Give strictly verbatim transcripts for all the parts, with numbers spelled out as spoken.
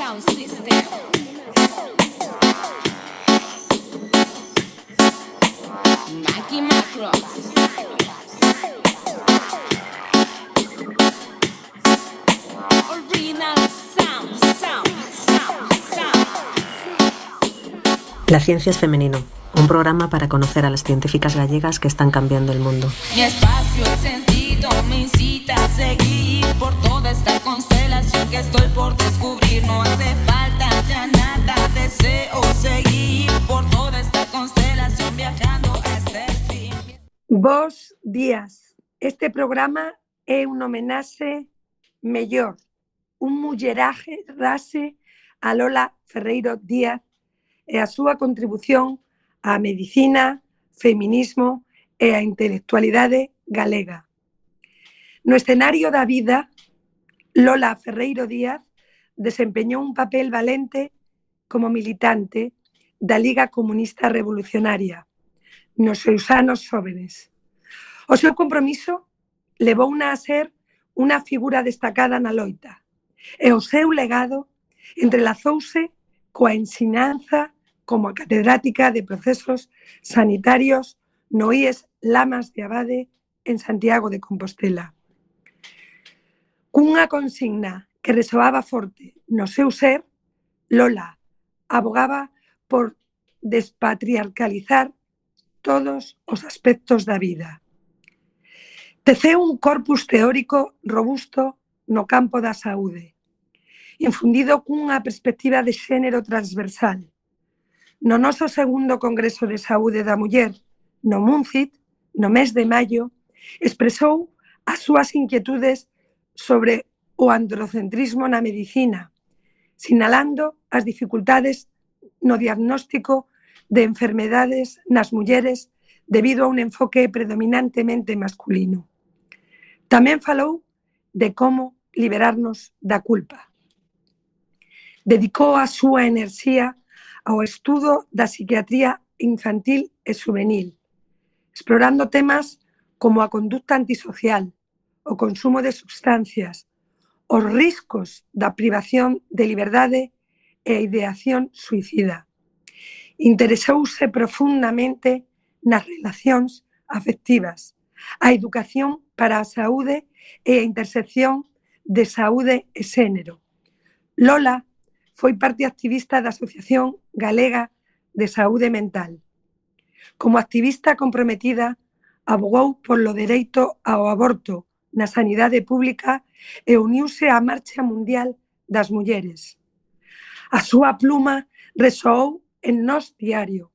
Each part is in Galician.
sound system. Mackie Macros. Original sound, sound, sound, sound. La ciencia es femenino, un programa para conocer a las científicas gallegas que están cambiando el mundo. Mi espacio, el sentido me incita a seguir por toda esta constelación que estoy por descubrir. No hace falta ya nada, deseo seguir por toda esta constelación viajando hasta el fin. Bos días. Este programa é un homenaxe mellor, un mulleraje rase a Lola Ferreiro Díaz e a súa contribución á medicina, feminismo e a intelectualidade galega. No escenario da vida, Lola Ferreiro Díaz desempeñou un papel valente como militante da Liga Comunista Revolucionaria nos seus anos xóvenes. O seu compromiso levouna a ser unha figura destacada na loita e o seu legado entrelazouse coa ensinanza como catedrática de procesos sanitarios no I E S Lamas de Abade en Santiago de Compostela. Cunha consigna que resoaba forte no seu ser, Lola abogaba por despatriarcalizar todos os aspectos da vida. Teceu un corpus teórico robusto no campo da saúde, infundido cunha perspectiva de xénero transversal. No noso segundo Congreso de Saúde da Muller, no MUNCIT, no mes de maio, expresou as súas inquietudes sobre o androcentrismo na medicina, sinalando as dificultades no diagnóstico de enfermedades nas mulleres debido a un enfoque predominantemente masculino. Tamén falou de como liberarnos da culpa. Dedicou a súa enerxía ao estudo da psiquiatría infantil e juvenil, explorando temas como a conducta antisocial, o consumo de sustancias, os riscos da privación de liberdade e a ideación suicida. Interesouse profundamente nas relacións afectivas, a educación para a saúde e a intersección de saúde e xénero. Lola foi parte activista da Asociación Galega de Saúde Mental. Como activista comprometida, abogou polo dereito ao aborto na sanidade pública e uniuse á Marcha Mundial das Mulleres. A súa pluma resoou en Nós Diario,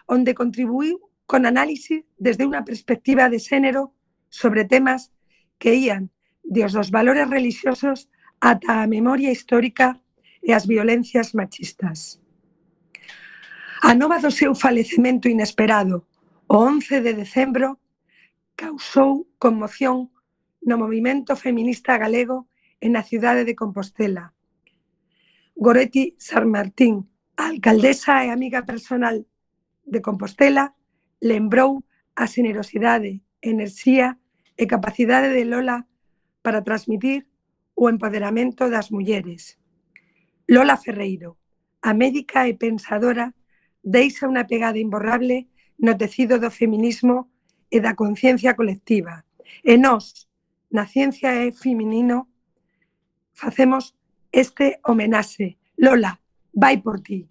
onde contribuiu con análisis desde unha perspectiva de xénero sobre temas que ían desde os valores religiosos ata a memoria histórica e as violencias machistas. A nova do seu falecemento inesperado, o once de decembro, causou conmoción no movimento feminista galego e na cidade de Compostela. Goretti Sanmartín, a alcaldesa e amiga personal de Compostela, lembrou a xenerosidade, enerxía e capacidade de Lola para transmitir o empoderamento das mulleres. Lola Ferreiro, a médica e pensadora, deixa unha pegada imborrable no tecido do feminismo e da conciencia colectiva. E nós, na Ciencia e Feminino, facemos este homenaxe. Lola, vai por ti.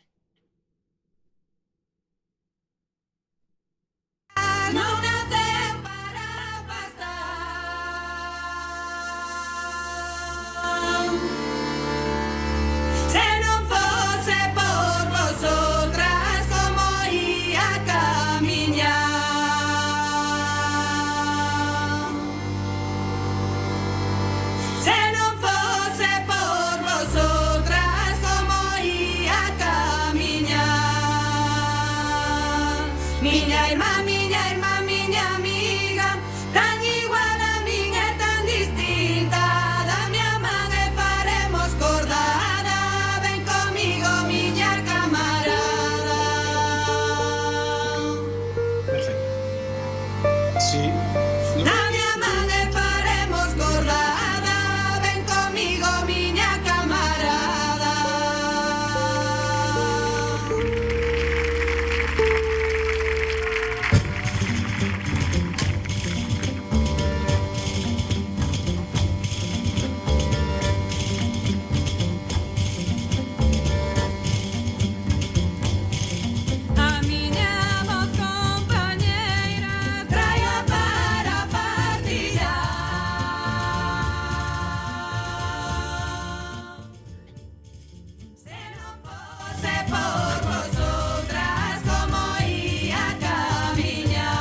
fosse por vosotras como ia camiñar.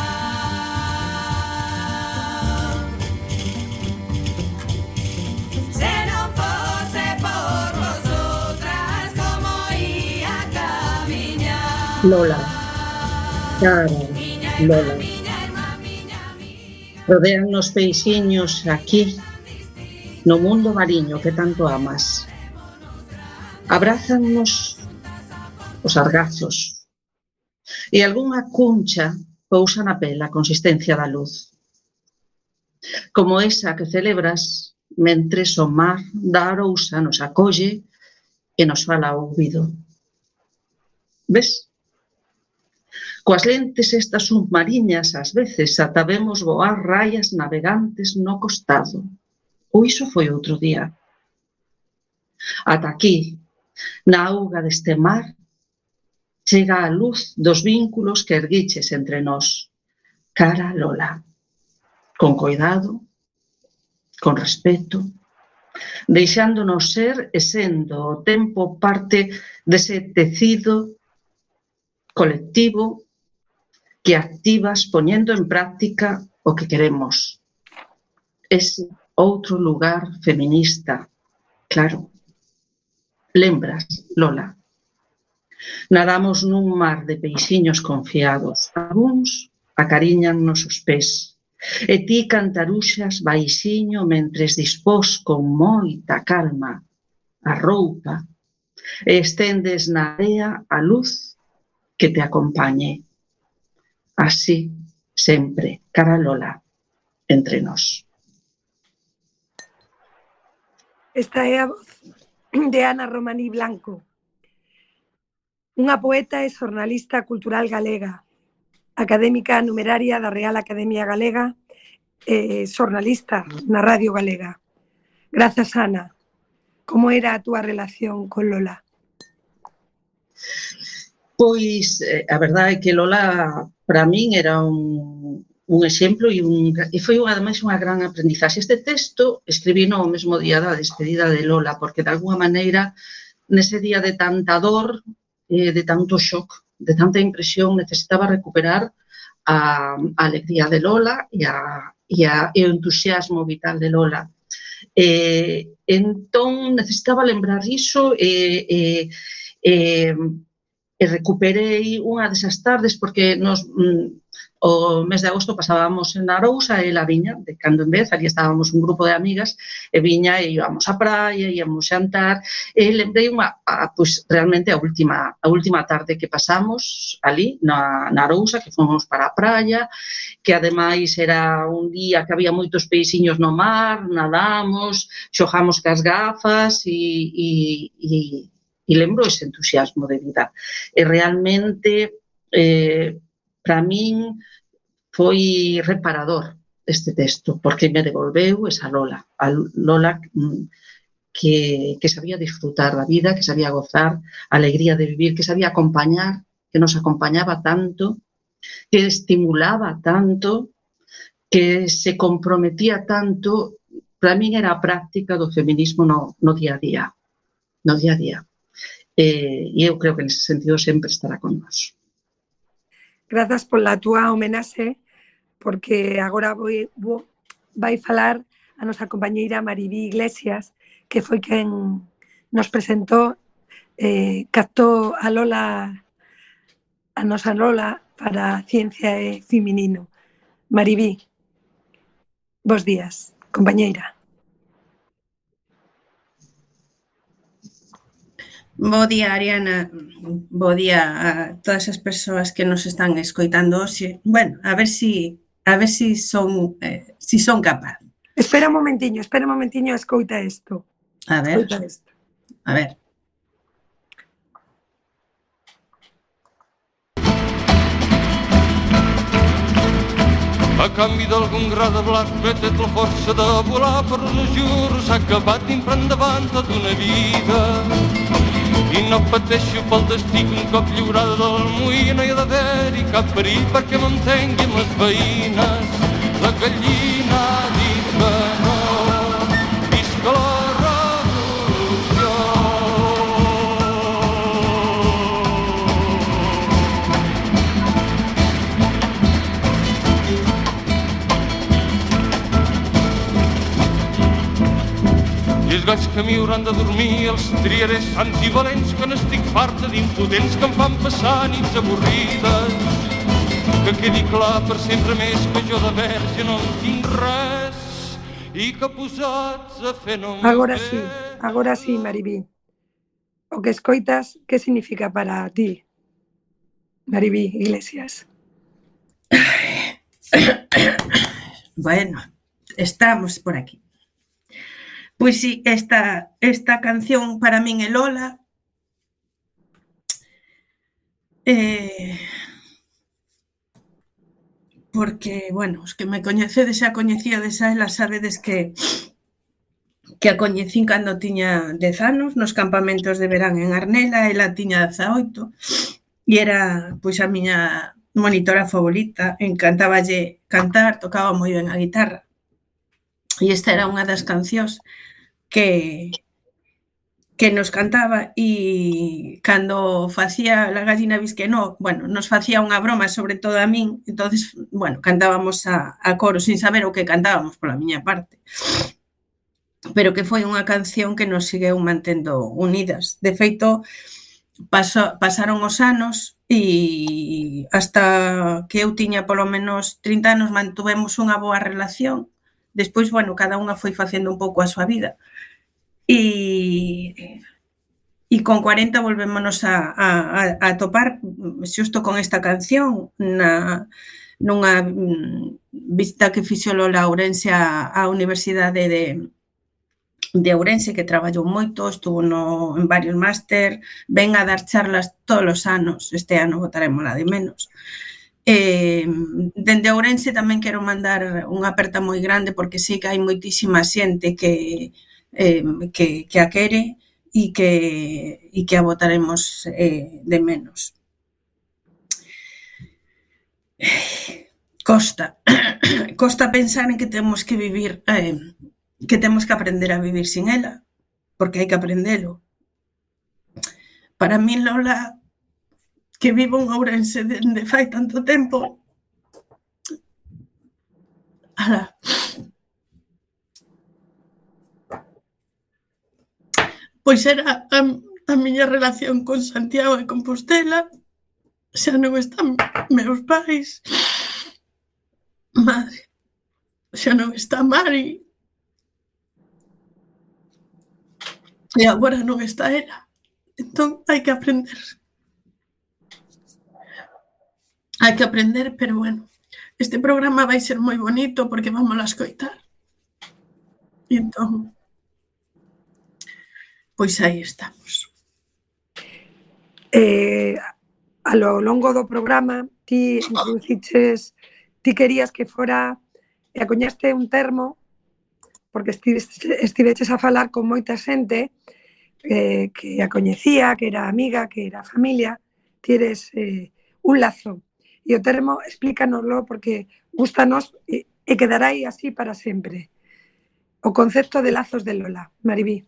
Se non fosse por vosotras como ia camiñar. Lola, cara, Lola. Rodean os peixiños aquí, no mundo mariño que tanto amas. Abrázannos os argazos e algunha cuncha pousa na pel a consistencia da luz. Como esa que celebras mentres o mar da Arousa nos acolle e nos fala ao ouvido. Ves? Coas lentes estas submariñas, ás veces, ata vemos voar raias navegantes no costado. Ou iso foi outro día. Ata aquí, na auga deste mar, chega a luz dos vínculos que erguiches entre nós. Cara Lola. Con coidado, con respeto, deixándonos ser e sendo o tempo parte dese tecido colectivo que activas poñendo en práctica o que queremos. Ese outro lugar feminista, claro. Lembras, Lola? Nadamos nun mar de peixiños confiados. Algúns acariñan-nos os pés. E ti cantaruxas baixiño mentres dispós con moita calma a roupa e estendes na area a luz que te acompañe. Así, sempre, cara Lola, entre nós. Esta é a voz de Ana Romaní Blanco, unha poeta e xornalista cultural galega, académica numeraria da Real Academia Galega e xornalista na Radio Galega. Grazas, Ana. Como era a túa relación con Lola? Pois, a verdade é que Lola, para min, era un, un exemplo e, un, e foi ademais unha gran aprendizaxe. Este texto escribí no mesmo día da despedida de Lola, porque de alguma maneira, nese día de tanta dor, eh, de tanto shock, de tanta impresión, necesitaba recuperar a, a alegría de Lola e, a, e, a, e o entusiasmo vital de Lola. Eh, entón, necesitaba lembrar iso e... Eh, eh, e recuperei unha desas tardes porque nos, mm, o mes de agosto pasábamos en Arousa e ela viña, de cando en vez, ali estábamos un grupo de amigas e viña e íbamos á praia, íamos xantar e lembrei unha, a, pois, realmente a última, a última tarde que pasamos ali na, na Arousa, que fomos para a praia, que ademais era un día que había moitos peixiños no mar, nadamos, xogamos cas gafas e, e, e E lembro ese entusiasmo de vida. E realmente, eh, para min, foi reparador este texto, porque me devolveu esa Lola, a Lola que, que sabía disfrutar da vida, que sabía gozar, a alegría de vivir, que sabía acompañar, que nos acompañaba tanto, que estimulaba tanto, que se comprometía tanto. Para min era a práctica do feminismo no, no día a día, no día a día. E eu creo que nese sentido sempre estará con nós. Grazas pola túa homenaxe, porque agora voi, vou, vai falar a nosa compañeira Maribí Iglesias, que foi quen nos presentou, eh, captou a Lola, a nosa Lola para Ciencia e Feminino. Maribí, bos días, compañeira. Bo día, Ariana. Bo día a todas as persoas que nos están escoitando hoxe. Bueno, a ver si a ver si son eh, si son capaz. Espera un momentiño, espera un momentiño, escoita isto. A ver. Escoita isto. A ver. A canvi d'algun gra de blat, metet la força de volar per no juro, s'ha acabat d'imprant davant tota una vida. I no pateixo pel destí que un cop lliurada del moí no hi ha d'haver-hi cap perill perquè m'entengui amb les veïnes. La gallina ha dit que no, visca la revolució. aquells que m'hi hauran de dormir, els triaré sants i valents, que n'estic farta d'impudents que em fan passar nits avorrides. Que quedi clar per sempre més que jo de verge no en tinc res i que posats a fer no em Agora sí, agora sí, Maribí. O que escoitas, que significa para ti, Maribí Iglesias? Bueno, estamos por aquí. Pois sí, esta, esta canción para min é Lola. Eh, porque, bueno, os que me coñecedes xa coñecíades a ela, sabedes que que a coñecín cando tiña dez anos nos campamentos de verán en Arnela, ela tiña dezaoito e era, pois, a miña monitora favorita, encantáballe cantar, tocaba moi ben a guitarra. E esta era unha das cancións que que nos cantaba e cando facía La gallina bisquenó, bueno, nos facía unha broma, sobre todo a min, entonces, bueno, cantábamos a, a coro sin saber o que cantábamos pola miña parte. Pero que foi unha canción que nos segueu mantendo unidas. De feito, paso, pasaron os anos e hasta que eu tiña polo menos trinta anos mantuvemos unha boa relación. Despois, bueno, cada unha foi facendo un pouco a súa vida. E, e con cuarenta volvémonos a, a, a topar xusto con esta canción na, nunha visita que fixo Lola Ourense á, á Universidade de, de Ourense, que traballou moito, estuvo no, en varios máster, ven a dar charlas todos os anos, este ano botarémola de menos. Eh, dende Ourense tamén quero mandar unha aperta moi grande porque sei que hai moitísima xente que Eh, que, que a quere e que, e que a votaremos eh, de menos. Costa. Costa pensar en que temos que vivir, eh, que temos que aprender a vivir sin ela, porque hai que aprendelo. Para mí, Lola, que vivo en Ourense dende fai tanto tempo, ala, pois era a, a miña relación con Santiago de Compostela, xa non están meus pais, madre, xa non está Mari, e agora non está ela, entón hai que aprender. Hai que aprender, pero bueno, este programa vai ser moi bonito porque vamos a escoitar. E entón, pois aí estamos. Eh, a lo longo do programa, ti introduciches, ti querías que fora, e acuñaste un termo, porque estiveches a falar con moita xente eh, que a coñecía, que era amiga, que era familia, ti eres eh, un lazo. E o termo, explícanoslo, porque gústanos e, e quedará aí así para sempre. O concepto de lazos de Lola, Maribí.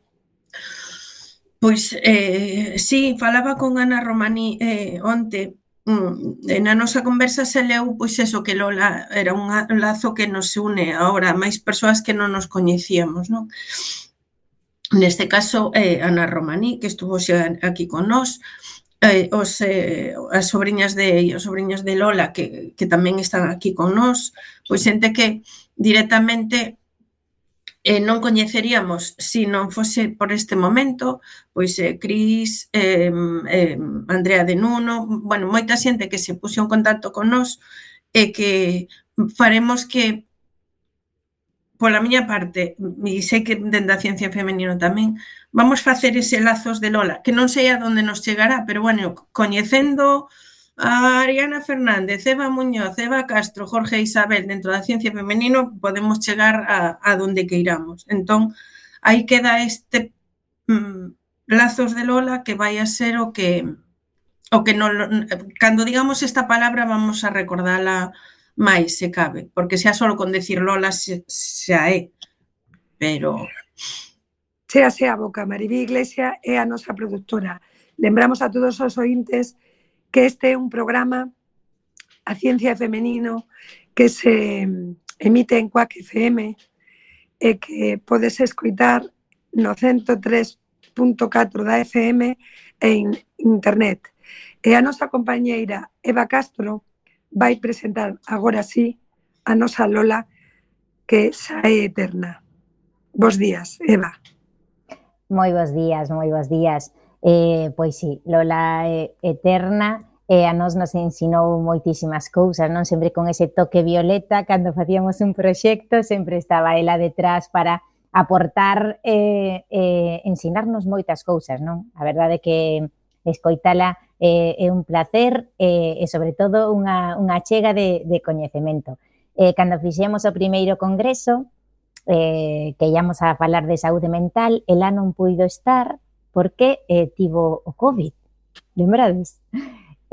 Pois, eh, sí, falaba con Ana Romaní eh, onte, mm, na nosa conversa se leu, pois eso, que Lola era un lazo que nos une agora, máis persoas que non nos coñecíamos, non? Neste caso, eh, Ana Romaní, que estuvo xa aquí con nós, eh, os, eh, as sobrinhas de, os sobrinhos de Lola, que, que tamén están aquí con nós, pois xente que directamente Eh, non coñeceríamos se non fose por este momento, pois eh, Cris, eh, eh, Andrea de Nuno, bueno, moita xente que se puxo en contacto con nós e que faremos que, pola miña parte, e sei que dende a ciencia femenino tamén, vamos facer ese lazos de Lola, que non sei a onde nos chegará, pero bueno, coñecendo a Ariana Fernández, Eva Muñoz, Eva Castro, Jorge e Isabel dentro da ciencia femenino podemos chegar a, a donde queiramos. Entón, aí queda este mm, lazos de Lola que vai a ser o que o que non, cando digamos esta palabra vamos a recordala máis se cabe, porque xa só con decir Lola xa é, pero Chéase a boca, Maribí Iglesias é a nosa produtora. Lembramos a todos os ointes que este é un programa a ciencia femenino que se emite en Cuac F M e que podes escoitar no ciento tres punto catro da F M e en internet. E a nosa compañeira Eva Castro vai presentar agora sí a nosa Lola, que xa é eterna. Bos días, Eva. Moi bos días, moi bos días. Eh, pois sí, Lola é eterna e a nos nos ensinou moitísimas cousas, non? Sempre con ese toque violeta, cando facíamos un proxecto, sempre estaba ela detrás para aportar e eh, eh, ensinarnos moitas cousas, non? A verdade é que escoitala eh, é un placer eh, e, sobre todo, unha, unha chega de, de coñecemento. Eh, cando fixemos o primeiro congreso, eh, que íamos a falar de saúde mental, ela non puido estar porque eh, tivo o COVID, lembrades?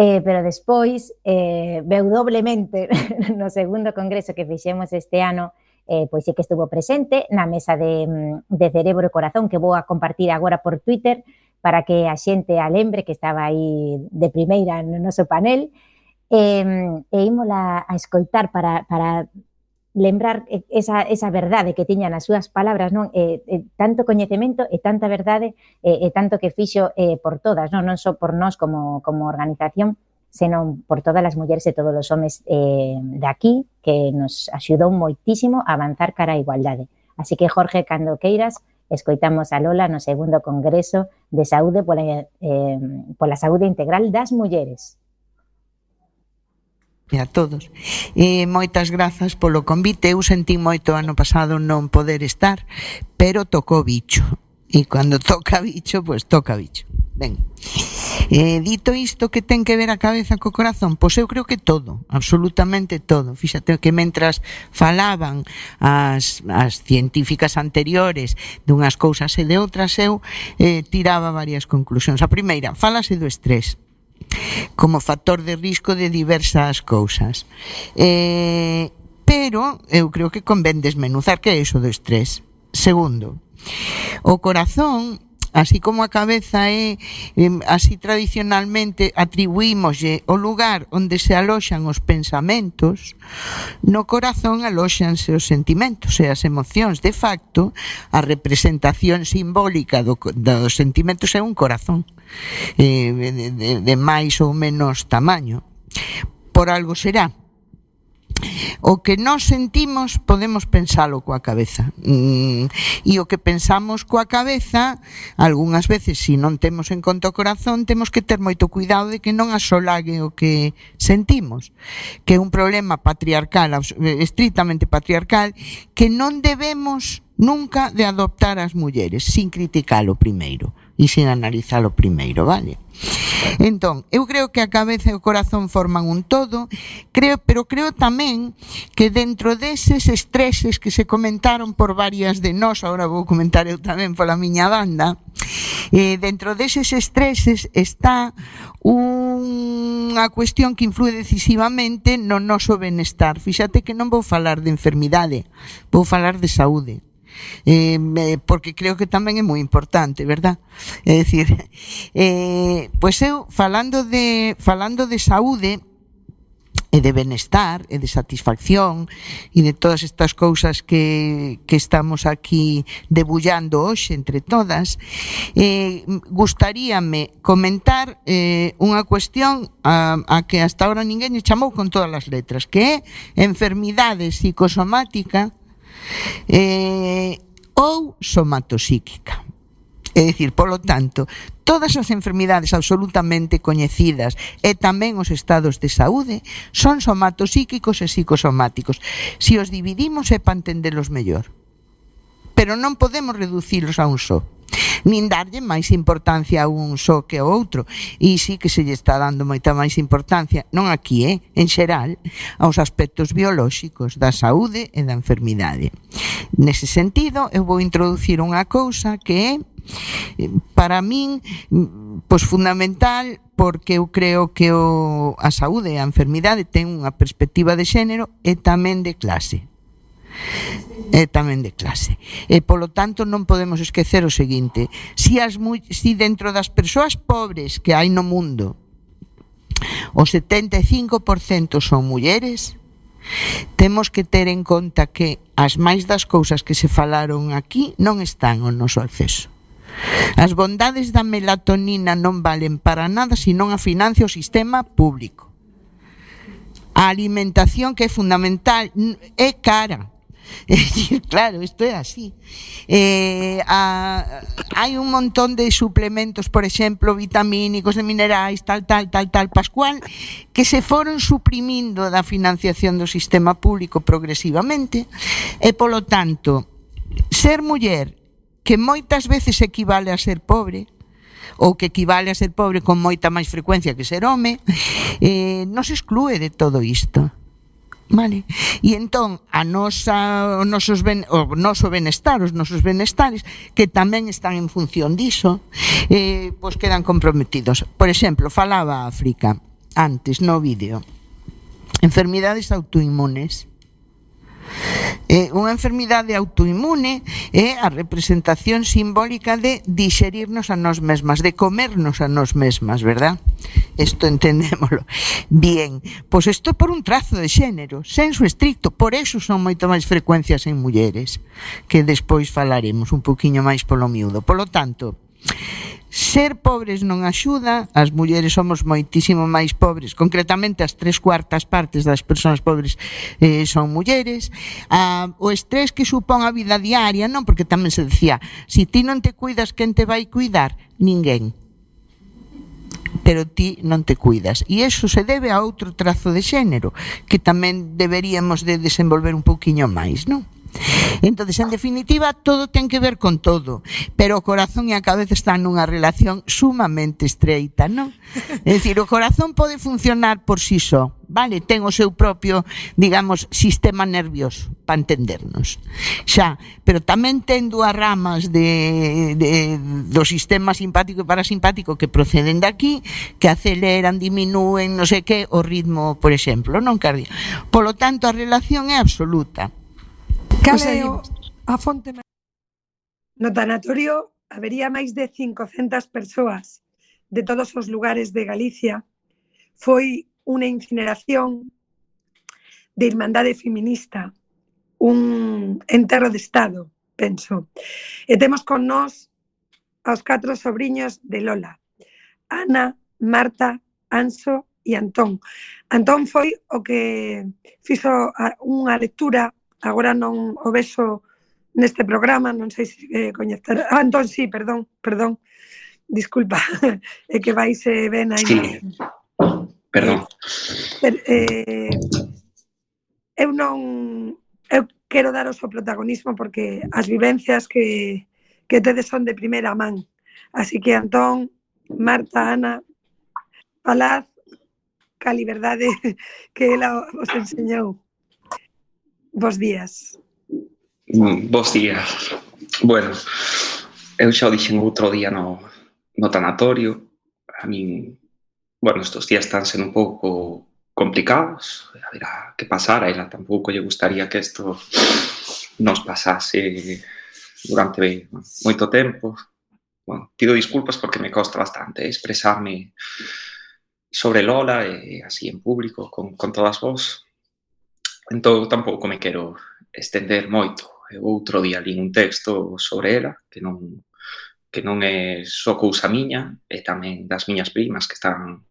Eh, pero despois eh, veu doblemente no segundo congreso que fixemos este ano, eh, pois sí que estuvo presente na mesa de, de Cerebro e Corazón, que vou a compartir agora por Twitter para que a xente a lembre, que estaba aí de primeira no noso panel, e, e ímola a escoitar para, para lembrar esa, esa verdade que tiñan as súas palabras, non? E, e, tanto coñecemento e tanta verdade e, e tanto que fixo eh, por todas, non, non só por nós como, como organización, senón por todas as mulleres e todos os homes eh, de aquí, que nos axudou moitísimo a avanzar cara á igualdade. Así que, Jorge, cando queiras, escoitamos a Lola no segundo congreso de saúde pola, eh, pola saúde integral das mulleres. E a todos. E moitas grazas polo convite. Eu sentí moito ano pasado non poder estar, pero tocou bicho. E cando toca bicho, pois toca bicho. Ben. Eh, dito isto, que ten que ver a cabeza co corazón? Pois eu creo que todo, absolutamente todo. Fíxate que mentras falaban as, as científicas anteriores dunhas cousas e de outras, eu eh, tiraba varias conclusións. A primeira, falase do estrés como factor de risco de diversas cousas. Eh, pero eu creo que convén desmenuzar que é iso do estrés. Segundo, o corazón, así como a cabeza é, eh, así tradicionalmente atribuímoslle o lugar onde se aloxan os pensamentos, no corazón alóxanse os sentimentos e as emocións. De facto, a representación simbólica do, dos sentimentos é un corazón eh, de, de, de máis ou menos tamaño. Por algo será. O que nós sentimos podemos pensalo coa cabeza, mm, e o que pensamos coa cabeza algunhas veces, se non temos en conta o corazón, temos que ter moito cuidado de que non asolague o que sentimos, que é un problema patriarcal, estritamente patriarcal, que non debemos nunca de adoptar as mulleres sin criticalo primeiro e sin analizalo primeiro, vale? Entón, eu creo que a cabeza e o corazón forman un todo, creo, pero creo tamén que dentro deses estreses que se comentaron por varias de nós, agora vou comentar eu tamén pola miña banda, eh, dentro deses estreses está unha cuestión que influe decisivamente no noso benestar. Fíxate que non vou falar de enfermidade, vou falar de saúde. Eh, porque creo que tamén é moi importante, verdad? É dicir, eh, pois eu falando de falando de saúde e de benestar e de satisfacción e de todas estas cousas que, que estamos aquí debullando hoxe entre todas, eh, gustaríame comentar eh, unha cuestión a, a que hasta ahora ninguén lle chamou con todas as letras, que é enfermidade psicosomática Eh, ou somatopsíquica. É dicir, polo tanto, todas as enfermidades absolutamente coñecidas e tamén os estados de saúde son somatopsíquicos e psicosomáticos. Se os dividimos é para entendelos mellor, pero non podemos reducilos a un só, nin darlle máis importancia a un só que ao outro. E sí que se lle está dando moita máis importancia, non aquí, eh, en xeral, aos aspectos biolóxicos da saúde e da enfermidade. Nese sentido, eu vou introducir unha cousa que é, para min, pois fundamental, porque eu creo que o, a saúde e a enfermidade ten unha perspectiva de xénero e tamén de clase. E tamén de clase. E polo tanto non podemos esquecer o seguinte: si, as, si dentro das persoas pobres que hai no mundo o setenta e cinco por cento son mulleres, temos que ter en conta que as máis das cousas que se falaron aquí non están ao noso acceso. As bondades da melatonina non valen para nada se non a financia o sistema público. A alimentación, que é fundamental, é cara. É dicir, claro, isto é así. Eh, a, hai un montón de suplementos, por exemplo, vitamínicos, de minerais, tal, tal, tal, tal, Pascual, que se foron suprimindo da financiación do sistema público progresivamente, e, polo tanto, ser muller, que moitas veces equivale a ser pobre, ou que equivale a ser pobre con moita máis frecuencia que ser home, eh, non se exclúe de todo isto. Vale. E entón a nosa, o, nosos ben, o noso benestar, os nosos benestares, que tamén están en función diso, eh, pois quedan comprometidos. Por exemplo, falaba África antes no vídeo, enfermidades autoinmunes. Eh, unha enfermidade autoinmune é a representación simbólica de dixerirnos a nós mesmas, de comernos a nós mesmas, verdad? Isto entendémolo. Bien, pois isto por un trazo de xénero, senso estricto, por eso son moito máis frecuencias en mulleres, que despois falaremos un poquinho máis polo miúdo. Polo tanto, ser pobres non axuda, as mulleres somos moitísimo máis pobres, concretamente as tres cuartas partes das persoas pobres eh, son mulleres. Ah, o estrés que supón a vida diaria, non, porque tamén se decía, si ti non te cuidas, quen te vai cuidar? Ninguén. Pero ti non te cuidas. E iso se debe a outro trazo de xénero, que tamén deberíamos de desenvolver un pouquiño máis, non? Entonces, en definitiva, todo ten que ver con todo, pero o corazón e a cabeza están nunha relación sumamente estreita, non? É dicir, o corazón pode funcionar por si só, vale? Ten o seu propio, digamos, sistema nervioso, para entendernos. Xa, pero tamén ten dúas ramas de, de, do sistema simpático e parasimpático que proceden de aquí, que aceleran, diminúen, non sei que, o ritmo, por exemplo, non cardíaco. Polo tanto, a relación é absoluta. Cal é o, a fonte máis? No tanatorio habería máis de cincocentas persoas de todos os lugares de Galicia. Foi unha incineración de Irmandade Feminista, un enterro de Estado, penso. E temos con nós aos catro sobriños de Lola, Ana, Marta, Anso e Antón. Antón foi o que fixo unha lectura. Agora non o vexo neste programa, non sei se eh, coñecer. Ah, entón, sí, perdón, perdón, disculpa, é que vais eh, ben aí. Sí, perdón. Eh, eh, eu non, eu quero daros o protagonismo porque as vivencias que, que tedes son de primeira man. Así que, Antón, Marta, Ana, falad ca liberdade que ela os enseñou. Bos días. Bos días. Bueno, eu xa o dixen outro día no, no tanatorio. A min, bueno, estos días están sendo un pouco complicados. A ver a que pasara. A ela tampouco lle gustaría que isto nos pasase durante moito tempo. Bueno, pido disculpas porque me costa bastante expresarme sobre Lola e así en público con, con todas vos. Entón, tampouco me quero estender moito. Eu outro día li un texto sobre ela, que non, que non é só cousa miña, e tamén das miñas primas que están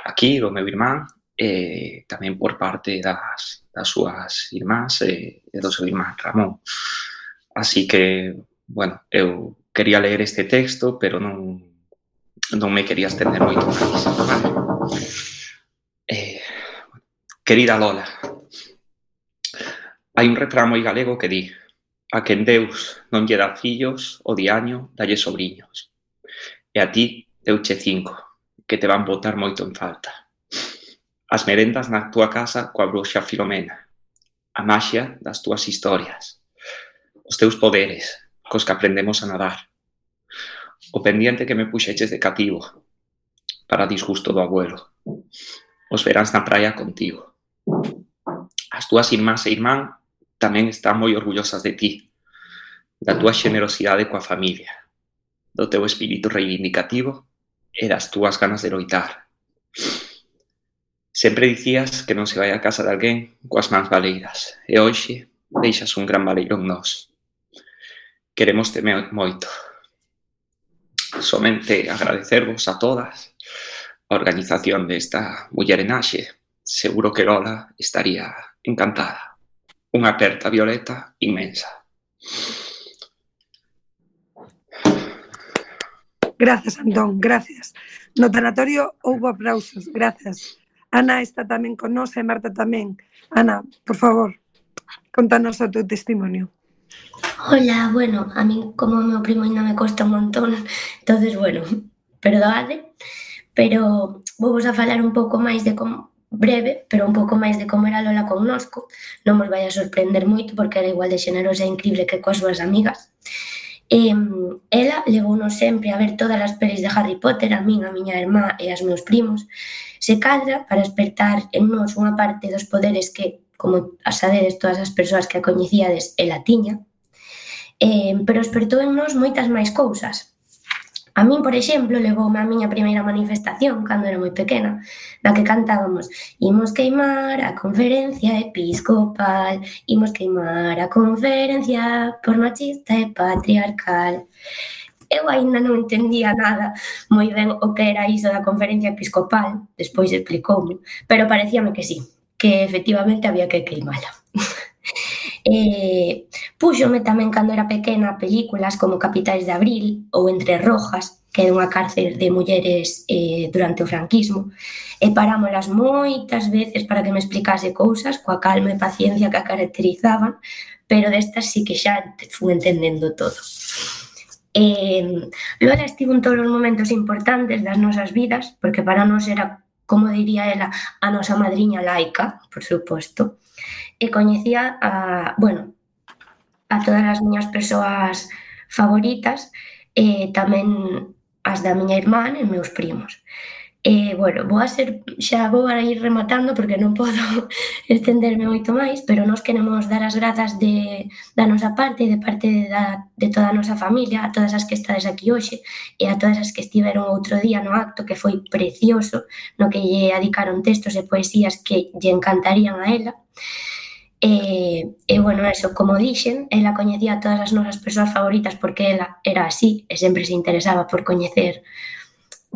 aquí, do meu irmán, e tamén por parte das, das súas irmás e, e do seu irmán Ramón. Así que, bueno, eu quería ler este texto, pero non, non me quería estender moito máis. Vale? Eh, querida Lola, hai un refrán moi galego que di: a quen Deus non lle dá fillos, o diaño dalle sobriños. E a ti deuche cinco, que te van botar moito en falta. As merendas na túa casa coa bruxa Filomena, a maxia das túas historias, os teus poderes, cos que aprendemos a nadar, o pendiente que me puxeches de cativo, para disgusto do abuelo, os veráns na praia contigo. As túas irmás e irmán tamén están moi orgullosas de ti, da túa xenerosidade coa familia, do teu espírito reivindicativo e das túas ganas de loitar. Sempre dicías que non se vai a casa de alguén coas mans baleiras, e hoxe deixas un gran baleiro en nós. Queremos te moito. Somente agradecervos a todas a organización desta mullerenaxe. Seguro que Lola estaría encantada. Unha aperta violeta inmensa. Gracias, Antón, gracias. No tanatorio houbo aplausos, gracias. Ana está tamén con nós e Marta tamén. Ana, por favor, contanos o teu testimonio. Hola, bueno, a mí como o meu primo ainda me costa un montón, entonces, bueno, perdoade, pero vou vos a falar un pouco máis de como, breve, pero un pouco máis de como era Lola connosco. Non vos vai a sorprender moito porque era igual de xenerosa e increíble que coas súas amigas. E, ela levounos sempre a ver todas as pelis de Harry Potter, a min, a miña irmá e as meus primos. Se cadra para despertar en nós unha parte dos poderes que, como sabedes todas as persoas que a coñecíades, ela tiña, eh, pero despertou en nós moitas máis cousas. A min, por exemplo, levoume a miña primeira manifestación cando era moi pequena, na que cantábamos imos queimar a conferencia episcopal, imos queimar a conferencia por machista e patriarcal. Eu aínda non entendía nada moi ben o que era iso da conferencia episcopal, despois explicoume, pero parecíame que sí, que efectivamente había que queimala. Eh, púxome tamén cando era pequena películas como Capitais de Abril ou Entre Rojas, que é unha cárcel de mulleres eh, durante o franquismo, e parámolas moitas veces para que me explicase cousas coa calma e paciencia que a caracterizaban, pero destas sí que xa fui entendendo todo. Eh, Lola estivo en todos os momentos importantes das nosas vidas, porque para nós era, como diría ela, a nosa madriña laica, por suposto, e coñecía a, bueno, a todas as miñas persoas favoritas e tamén as da miña irmá e meus primos. E, bueno, vou a ser, xa vou a ir rematando porque non podo estenderme moito máis, pero nós queremos dar as grazas de, da nosa parte e de parte da, de toda a nosa familia, a todas as que estades aquí hoxe e a todas as que estiveron outro día no acto, que foi precioso, no que lle adicaron textos e poesías que lle encantarían a ela. E, e bueno, eso, como dixen, ela coñecía a todas as nosas persoas favoritas porque ela era así e sempre se interesaba por coñecer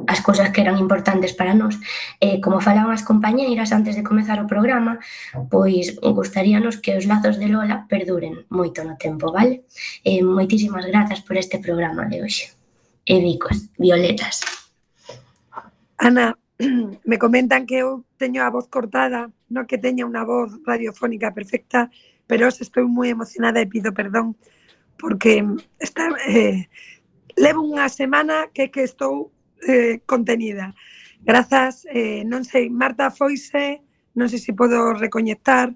as cousas que eran importantes para nós. E como falaban as compañeiras antes de comezar o programa, pois gustaríanos que os lazos de Lola perduren moito no tempo, vale? E moitísimas grazas por este programa de hoxe. E bicos, violetas. Ana, me comentan que eu teño a voz cortada, non que teña unha voz radiofónica perfecta, pero hoxe estou moi emocionada e pido perdón porque está, eh, levo unha semana que que estou eh, contenida. Grazas, eh, non sei, Marta foise, non sei se podo recoñectar,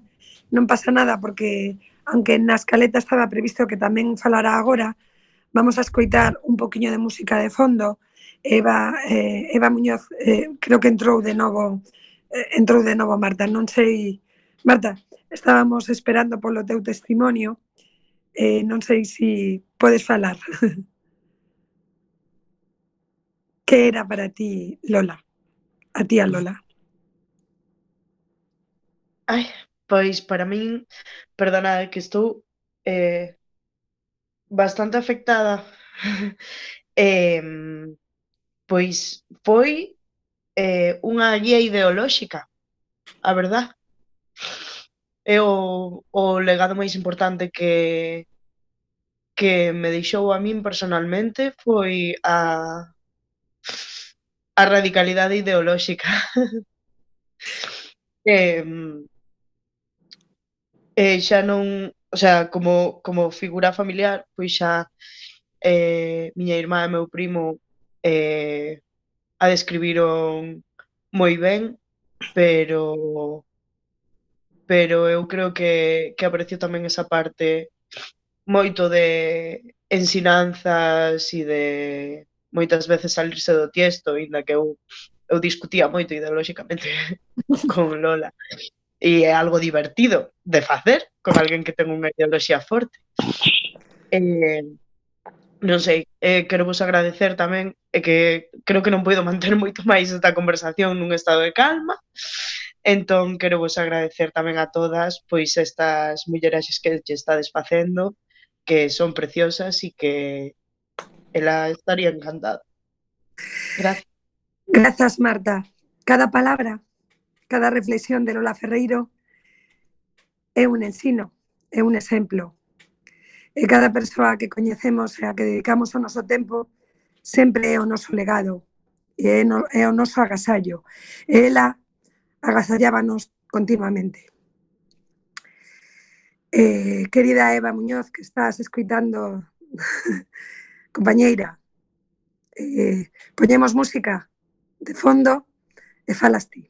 non pasa nada porque, aunque na escaleta estaba previsto que tamén falara agora, vamos a escoitar un poquinho de música de fondo. Eva, eh, Eva Muñoz, eh, creo que entrou de novo, eh, entrou de novo Marta, non sei, Marta, estábamos esperando polo teu testimonio, eh, non sei se podes falar. Que era para ti, Lola? A ti, a Lola. Ai, pois para min, perdonade que estou eh, bastante afectada. eh, pois foi eh, unha guía ideolóxica, a verdad. É o, o legado máis importante que que me deixou a min personalmente foi a a radicalidade ideolóxica. eh, eh, xa non, o sea, como, como figura familiar, pois xa eh, miña irmá e meu primo eh, a describiron moi ben, pero pero eu creo que, que aprecio tamén esa parte moito de ensinanzas e de moitas veces salirse do tiesto, inda que eu, eu discutía moito ideolóxicamente con Lola. E é algo divertido de facer con alguén que ten unha ideoloxía forte. Eh, non sei, eh, quero vos agradecer tamén, e que creo que non podo manter moito máis esta conversación nun estado de calma. Entón, quero vos agradecer tamén a todas pois estas mulleres que che estades facendo, que son preciosas e que ela estaría encantada. Gracias. Grazas, Marta. Cada palabra, cada reflexión de Lola Ferreiro é un ensino, é un exemplo. E cada persoa que coñecemos e a que dedicamos o noso tempo sempre é o noso legado, e é, no, é o noso agasallo. E ela agasallábanos continuamente. Eh, querida Eva Muñoz, que estás escuitando, compañeira, eh, poñemos música de fondo e falas ti.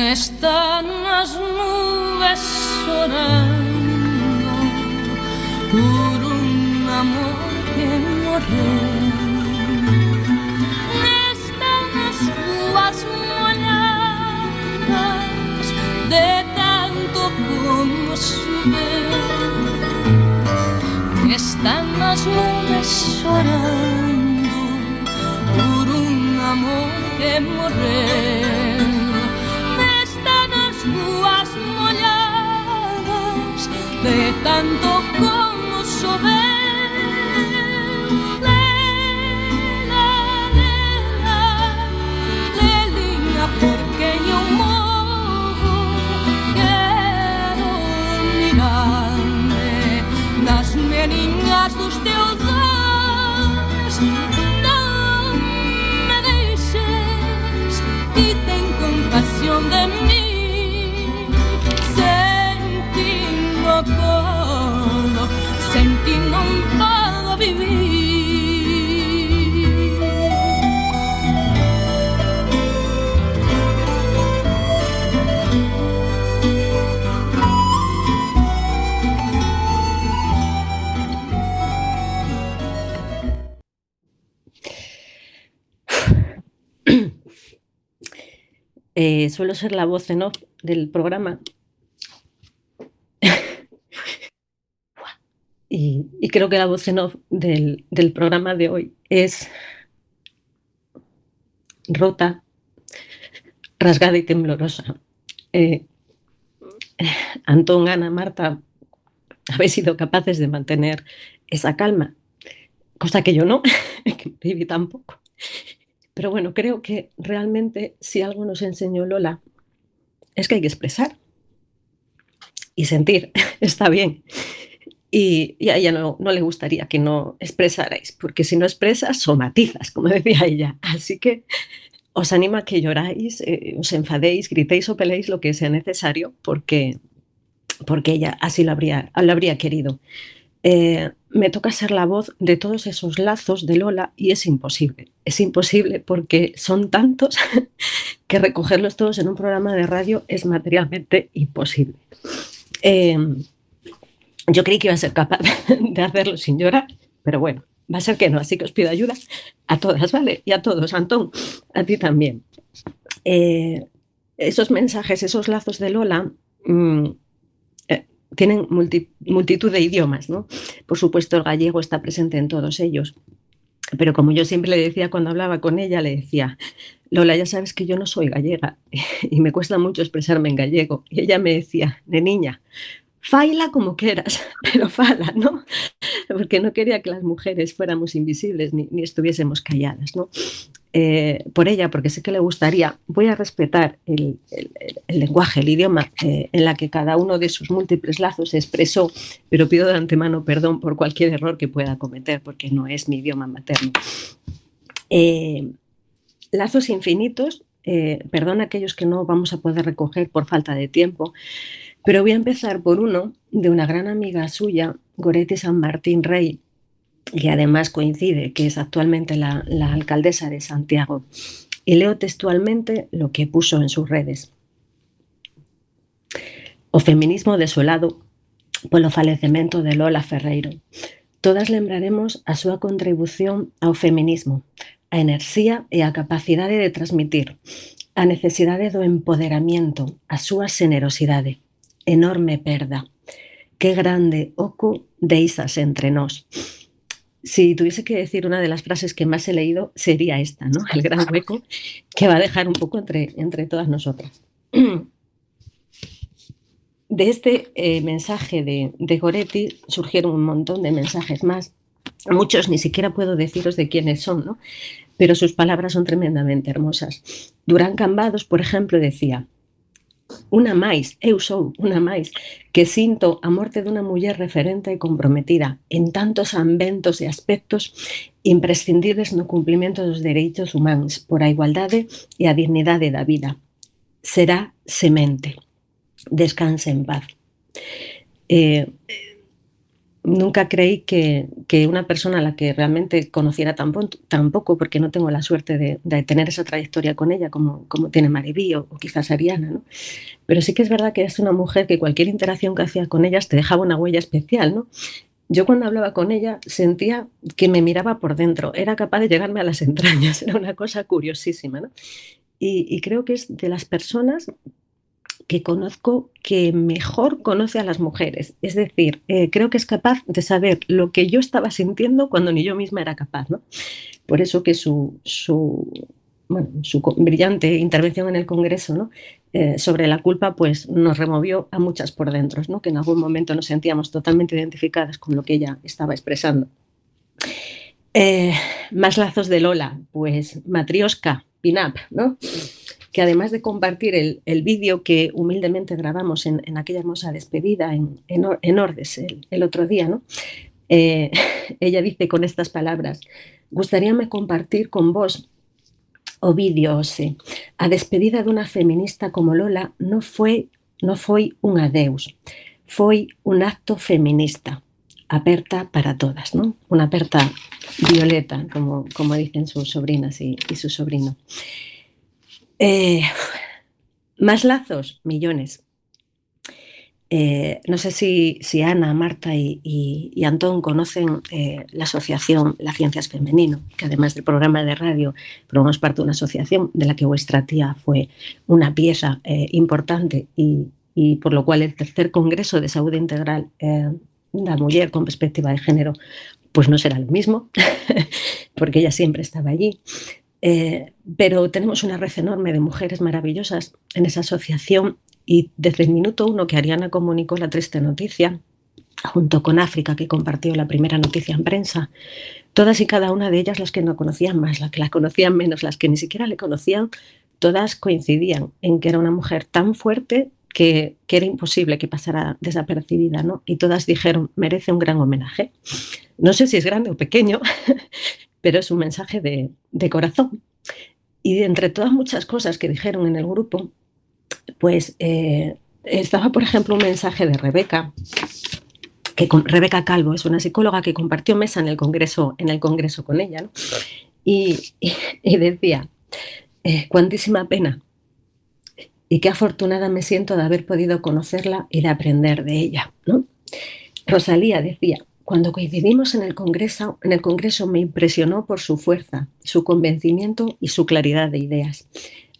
Están as nubes chorando por un amor que morreu. Están as ruas molladas de tanto como choveu. Están as nubes chorando por un amor que morreu. Ruas molladas de tanto como choveu. Lela, lela, lelinha, porque eu morro. Quero mirar-me nas meninas dos teus olhos. Não me deixes e tem compaixão de mim. Puedo, sin ti no puedo vivir. Eh, suelo ser la voz en off del programa. Y, y creo que la voz en off del, del programa de hoy es rota, rasgada y temblorosa. Eh, Antón, Ana, Marta, habéis sido capaces de mantener esa calma, cosa que yo no, que viví tampoco. Pero bueno, creo que realmente si algo nos enseñó Lola es que hay que expresar y sentir, está bien. Y, y a ella no, no le gustaría que no expresarais, porque si no expresas, somatizas, como decía ella. Así que os animo a que lloráis, eh, os enfadéis, gritéis o peleéis lo que sea necesario, porque, porque ella así lo habría, lo habría querido. Eh, me toca ser la voz de todos esos lazos de Lola y es imposible. Es imposible porque son tantos que recogerlos todos en un programa de radio es materialmente imposible. Eh, Yo creí que iba a ser capaz de hacerlo sin llorar, pero bueno, va a ser que no, así que os pido ayuda a todas, ¿vale? Y a todos, Antón, a ti también. Eh, esos mensajes, esos lazos de Lola mmm, eh, tienen multi, multitud de idiomas, ¿no? Por supuesto, el gallego está presente en todos ellos, pero como yo siempre le decía cuando hablaba con ella, le decía, Lola, ya sabes que yo no soy gallega y me cuesta mucho expresarme en gallego. Y ella me decía, de niña, faila como quieras, pero fala, ¿no? Porque no quería que las mujeres fuéramos invisibles ni, ni estuviésemos calladas, ¿no? Eh, por ella, porque sé que le gustaría, voy a respetar el, el, el lenguaje, el idioma eh, en la que cada uno de sus múltiples lazos se expresó, pero pido de antemano perdón por cualquier error que pueda cometer, porque no es mi idioma materno. Eh, lazos infinitos, eh, perdón a aquellos que no vamos a poder recoger por falta de tiempo, pero voy a empezar por uno de una gran amiga suya, Goretti San Martín Rey, que además coincide que es actualmente la, la alcaldesa de Santiago. Y leo textualmente lo que puso en sus redes. O feminismo desolado polo falecemento de Lola Ferreiro. Todas lembraremos a súa contribución ao feminismo, a enerxía e a capacidade de transmitir, a necesidade do empoderamento, a súa xenerosidade. enorme perda. Qué grande oco deixas entre nós. Si tuviese que decir una de las frases que más he leído, sería esta, ¿no? El gran hueco que va a dejar un poco entre, entre todas nosotras. De este eh, mensaje de, de Goretti surgieron un montón de mensajes más. Muchos ni siquiera puedo deciros de quiénes son, ¿no? Pero sus palabras son tremendamente hermosas. Durán Cambados, por ejemplo, decía: una máis, eu sou unha máis, que sinto a morte dunha muller referente e comprometida en tantos ambientos e aspectos imprescindibles no cumplimento dos dereitos humanos por a igualdade e a dignidade da vida. Será semente. Descanse en paz. Eh, nunca creí que, que una persona a la que realmente conociera tan, tan poco, porque no tengo la suerte de, de tener esa trayectoria con ella como, como tiene Maribí o, o quizás Ariana, ¿no? Pero sí que es verdad que es una mujer que cualquier interacción que hacía con ellas te dejaba una huella especial, ¿no? Yo cuando hablaba con ella sentía que me miraba por dentro, era capaz de llegarme a las entrañas, era una cosa curiosísima, ¿no? Y, y creo que es de las personas que conozco que mejor conoce a las mujeres. Es decir, eh, creo que es capaz de saber lo que yo estaba sintiendo cuando ni yo misma era capaz, ¿no? Por eso que su, su, bueno, su brillante intervención en el Congreso, ¿no? eh, sobre la culpa, pues nos removió a muchas por dentro, ¿no? Que en algún momento nos sentíamos totalmente identificadas con lo que ella estaba expresando. Eh, más lazos de Lola, pues Matrioska, Pin-Up, ¿no? Que además de compartir el, el vídeo que humildemente grabamos en, en aquella hermosa despedida en, en, en Ordes el, el otro día, ¿no? Eh, ella dice con estas palabras: gustaríame compartir con vos o vídeo, Ose, a despedida dunha feminista como Lola non foi, non foi un adeus, foi un acto feminista, aperta para todas, ¿no? Una aperta violeta, como, como dicen sus sobrinas y, y su sobrino. Eh, más lazos, millones. Eh, no sé si, si Ana, Marta y, y, y Antón conocen eh, la asociación La Ciencia es Femenino, que además del programa de radio formamos parte de una asociación de la que vuestra tía fue una pieza eh, importante y, y por lo cual el tercer Congreso de Salud Integral eh, da Muller con perspectiva de género pues no será lo mismo, porque ella siempre estaba allí. Eh, pero tenemos una red enorme de mujeres maravillosas en esa asociación y desde el minuto uno que Ariana comunicó la triste noticia, junto con África, que compartió la primera noticia en prensa, todas y cada una de ellas, las que no conocían más, las que la conocían menos, las que ni siquiera le conocían, todas coincidían en que era una mujer tan fuerte que, que era imposible que pasara desapercibida, ¿no? Y todas dijeron: merece un gran homenaje. No sé si es grande o pequeño, pero es un mensaje de, de corazón. Y de entre todas muchas cosas que dijeron en el grupo, pues eh, estaba, por ejemplo, un mensaje de Rebeca, que con, Rebeca Calvo es una psicóloga que compartió mesa en el Congreso, en el Congreso con ella, ¿no? Y, y, y decía: eh, cuantísima pena y qué afortunada me siento de haber podido conocerla y de aprender de ella, ¿no? Rosalía decía: cuando coincidimos en el Congreso, en el Congreso me impresionó por su fuerza, su convencimiento y su claridad de ideas.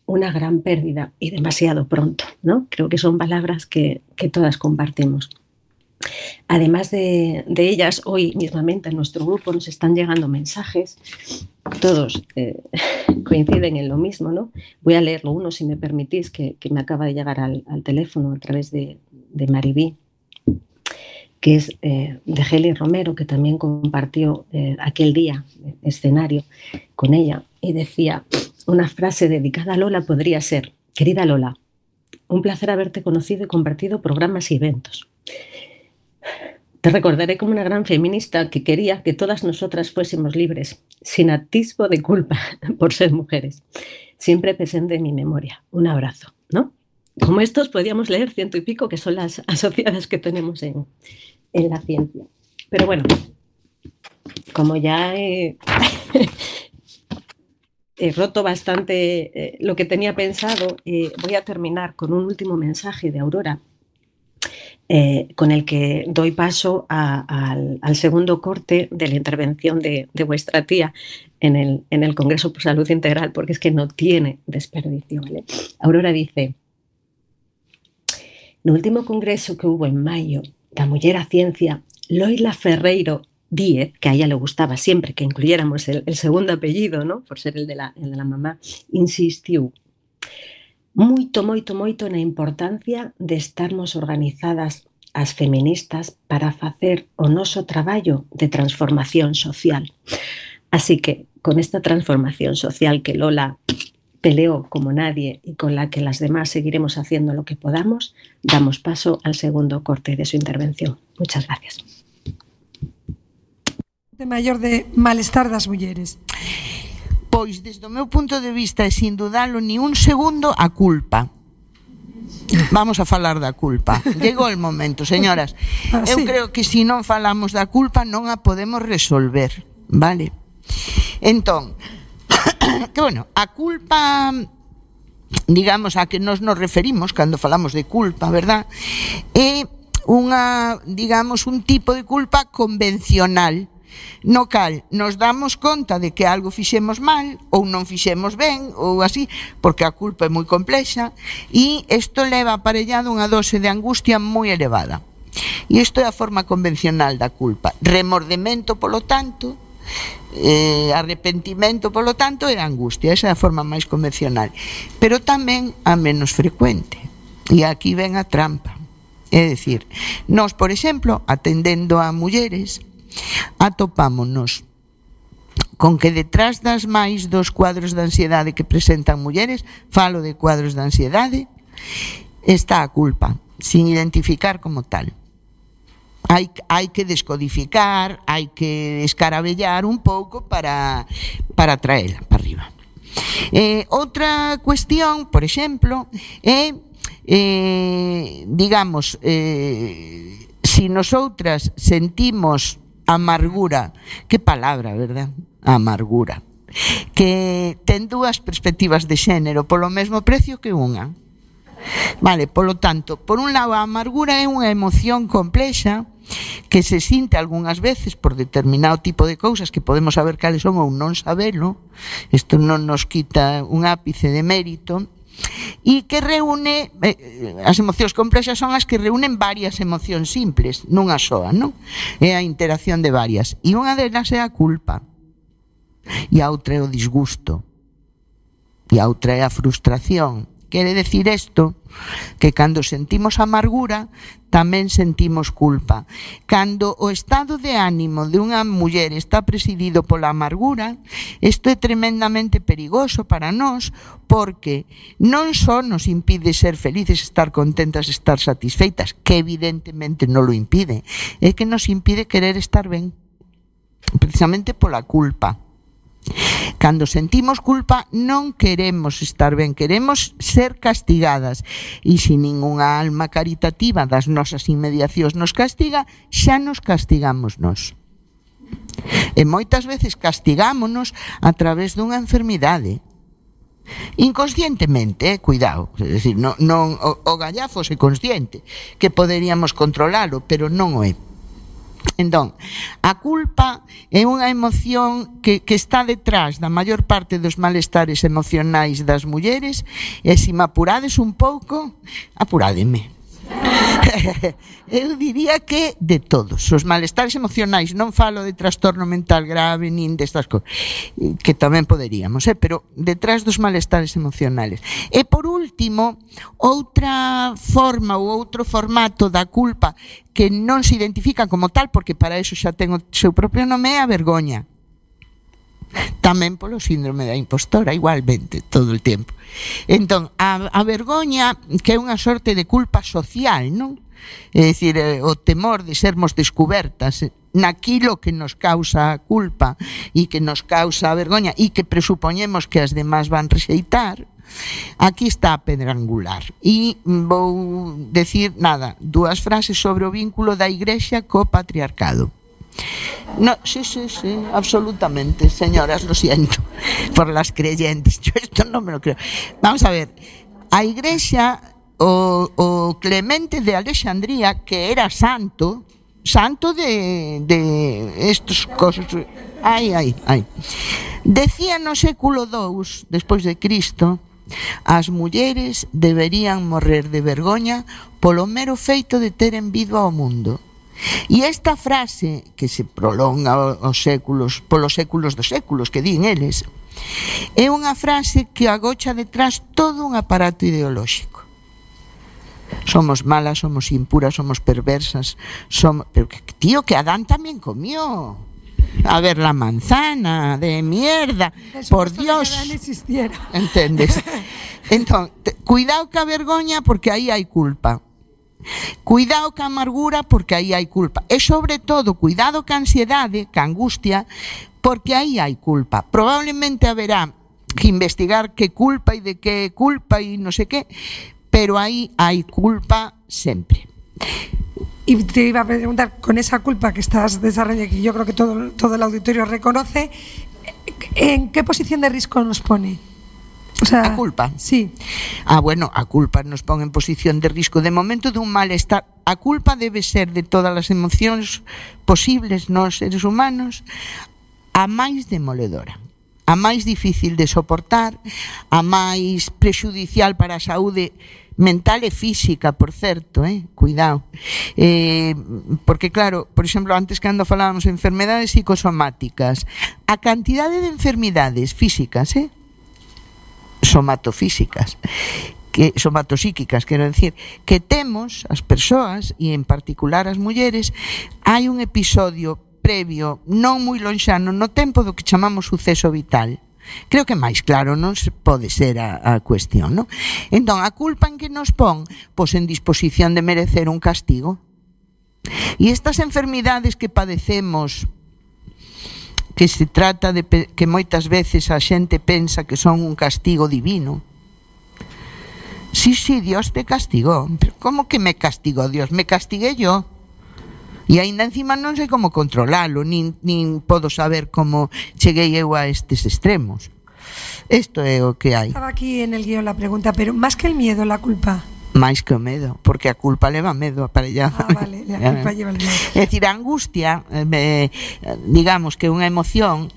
Una gran pérdida y demasiado pronto, ¿no? Creo que son palabras que, que todas compartimos. Además de, de ellas, hoy mismamente en nuestro grupo nos están llegando mensajes, todos eh, coinciden en lo mismo, ¿no? Voy a leerlo uno, si me permitís, que, que me acaba de llegar al, al teléfono a través de, de Maribí, que es eh, de Heli Romero, que también compartió eh, aquel día escenario con ella, y decía: una frase dedicada a Lola podría ser: querida Lola, un placer haberte conocido y compartido programas y eventos. Te recordaré como una gran feminista que quería que todas nosotras fuésemos libres, sin atisbo de culpa por ser mujeres. Siempre presente en mi memoria. Un abrazo, ¿no? Como estos podríamos leer ciento y pico, que son las asociadas que tenemos en, en la ciencia. Pero bueno, como ya he, he roto bastante eh, lo que tenía pensado, eh, voy a terminar con un último mensaje de Aurora, eh, con el que doy paso a, a, al, al segundo corte de la intervención de, de vuestra tía en el, en el Congreso por Salud Integral, porque es que no tiene desperdicio, ¿vale? Aurora dice: No último congreso que hubo en maio da Muller a Ciencia, Loila Ferreiro Díez, que a ella le gustaba siempre que incluyéramos el, el segundo apellido, ¿no? Por ser el de la, el de la mamá, insistiu moito, moito, moito na importancia de estarmos organizadas as feministas para facer o noso traballo de transformación social. Así que, con esta transformación social que Lola peleó como nadie y con la que las demás seguiremos haciendo lo que podamos, damos paso al segundo corte de su intervención. Muchas gracias. De maior de malestar das mulleres. Pois, desde o meu punto de vista, e sin dudalo ni un segundo, a culpa. Vamos a falar da culpa. Chegou o momento, señoras. Ah, eu sí. creo que se non falamos da culpa non a podemos resolver, vale? Entón, que bueno, a culpa, digamos, a que nos nos referimos cando falamos de culpa, verdad? É unha, digamos, un tipo de culpa convencional, no cal nos damos conta de que algo fixemos mal ou non fixemos ben ou así, porque a culpa é moi complexa e isto leva aparellado unha dose de angustia moi elevada. E isto é a forma convencional da culpa. Remordemento, polo tanto, eh, arrepentimento, polo tanto, e angustia. Esa é a forma máis convencional. Pero tamén a menos frecuente. E aquí ven a trampa. É dicir, nós, por exemplo, atendendo a mulleres, atopámonos con que detrás das máis dos cuadros de ansiedade que presentan mulleres, falo de cuadros de ansiedade, está a culpa, sin identificar como tal. Hai, hai que descodificar, hai que escarabellar un pouco para, para traela para arriba. Eh, outra cuestión, por exemplo, é, eh, digamos, eh, si nosotras sentimos amargura, que palabra, verdad? Amargura. Que ten dúas perspectivas de xénero polo mesmo precio que unha. Vale, polo tanto, por un lado, a amargura é unha emoción complexa que se sinte algunhas veces por determinado tipo de cousas que podemos saber cales son ou non sabelo. Isto non nos quita un ápice de mérito. E que reúne, eh, as emocións complexas son as que reúnen varias emocións simples, nunha soa, non? É a interacción de varias. E unha delas é a culpa. E a outra é o disgusto. E a outra é a frustración. Quere decir isto que cando sentimos amargura tamén sentimos culpa. Cando o estado de ánimo de unha muller está presidido pola amargura, isto é tremendamente perigoso para nós, porque non só nos impide ser felices, estar contentas, estar satisfeitas, que evidentemente non lo impide, é que nos impide querer estar ben, precisamente pola culpa. Cando sentimos culpa non queremos estar ben, queremos ser castigadas, e se ningunha alma caritativa das nosas inmediacións nos castiga, xa nos castigamos nós. E moitas veces castigámonos a través dunha enfermidade, inconscientemente, eh, cuidado, é dicir, non, non, o, o gallafo é consciente que poderíamos controlalo, pero non o é. Entón, a culpa é unha emoción que, que está detrás da maior parte dos malestares emocionais das mulleres, e se me apurades un pouco, apurádeme. Eu diría que de todos os malestares emocionais, non falo de trastorno mental grave nin destas cousas, que tamén poderíamos, eh? Pero detrás dos malestares emocionales. E por último, outra forma ou outro formato da culpa que non se identifica como tal, porque para eso xa ten o seu propio nome, é a vergoña. Tamén polo síndrome da impostora, igualmente, todo o tempo. Entón, a, a vergoña, que é unha sorte de culpa social, non? É dicir, o temor de sermos descubertas naquilo que nos causa a culpa e que nos causa a vergoña e que presupoñemos que as demás van rexeitar. Aquí está a pedra angular. E vou decir, nada, dúas frases sobre o vínculo da Igrexa co patriarcado. No, sí, sí, sí, absolutamente, señoras, lo siento por las creyentes, yo esto no me lo creo. Vamos a ver, a Igrexa, o, o Clemente de Alexandría, que era santo, santo de, de estos cosas, ay, ay, ay, decía no século dous, despois de Cristo, As mulleres deberían morrer de vergoña polo mero feito de teren vido ao mundo. E esta frase, que se prolonga aos séculos, polos séculos dos séculos, que din eles, é unha frase que agocha detrás todo un aparato ideolóxico. Somos malas, somos impuras, somos perversas, somos... Pero, tío, que Adán tamén comió. A ver, la manzana de mierda, por Dios. Que Adán existiera. Entendes? Entón, cuidado ca vergoña porque aí hai culpa. Cuidado ca amargura porque aí hai culpa. E sobre todo, cuidado ca ansiedade, ca angustia, porque aí hai culpa. Probablemente haberá que investigar que culpa e de que culpa e non sei que, pero aí hai culpa sempre. Y te iba a preguntar, con esa culpa que estás desarrollando, que yo creo que todo, todo el auditorio reconoce, ¿en qué posición de riesgo nos pone? O sea, a culpa? Sí. Ah, bueno, a culpa nos pon en posición de risco de momento dun malestar. A culpa debe ser de todas as emocións posibles nos seres humanos a máis demoledora, a máis difícil de soportar, a máis prexudicial para a saúde mental e física, por certo, eh? Cuidado. Eh, porque, claro, por exemplo, antes cando falábamos de enfermedades psicosomáticas, a cantidade de enfermidades físicas, eh? somatofísicas, que, somatopsíquicas, quero decir, que temos as persoas, e en particular as mulleres, hai un episodio previo, non moi lonxano, no tempo do que chamamos suceso vital. Creo que máis claro non se pode ser a, a cuestión, non? Entón, a culpa en que nos pon? Pois en disposición de merecer un castigo. E estas enfermidades que padecemos, que se trata de que moitas veces a xente pensa que son un castigo divino. Sí, sí, Dios te castigó. Pero ¿cómo que me castigó Dios? Me castigué yo. E aínda encima non sei como controlalo, nin, nin podo saber como cheguei eu a estes extremos. Isto é o que hai. Estaba aquí en el guión la pregunta, pero máis que el miedo, la culpa. Máis que o medo, porque a culpa leva medo aparellado. Ah, vale, a culpa lleva el medo. É dicir, a angustia, eh, digamos que é unha emoción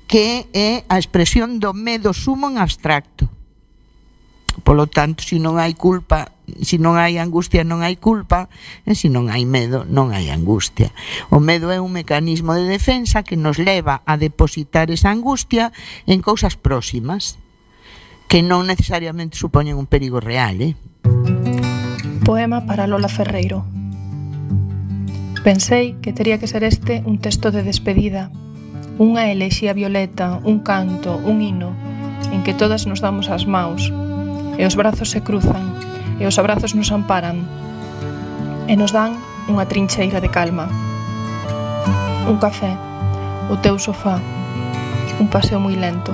que é a expresión do medo sumo en abstracto. Polo tanto, se non hai culpa, se non hai angustia, non hai culpa, e se non hai medo, non hai angustia. O medo é un mecanismo de defensa que nos leva a depositar esa angustia en cousas próximas, que non necesariamente supoñen un perigo real, eh? Poema para Lola Ferreiro. Pensei que tería que ser este un texto de despedida, unha elexía violeta, un canto, un hino, en que todas nos damos as maus, e os brazos se cruzan, e os abrazos nos amparan, e nos dan unha trincheira de calma. Un café, o teu sofá, un paseo moi lento,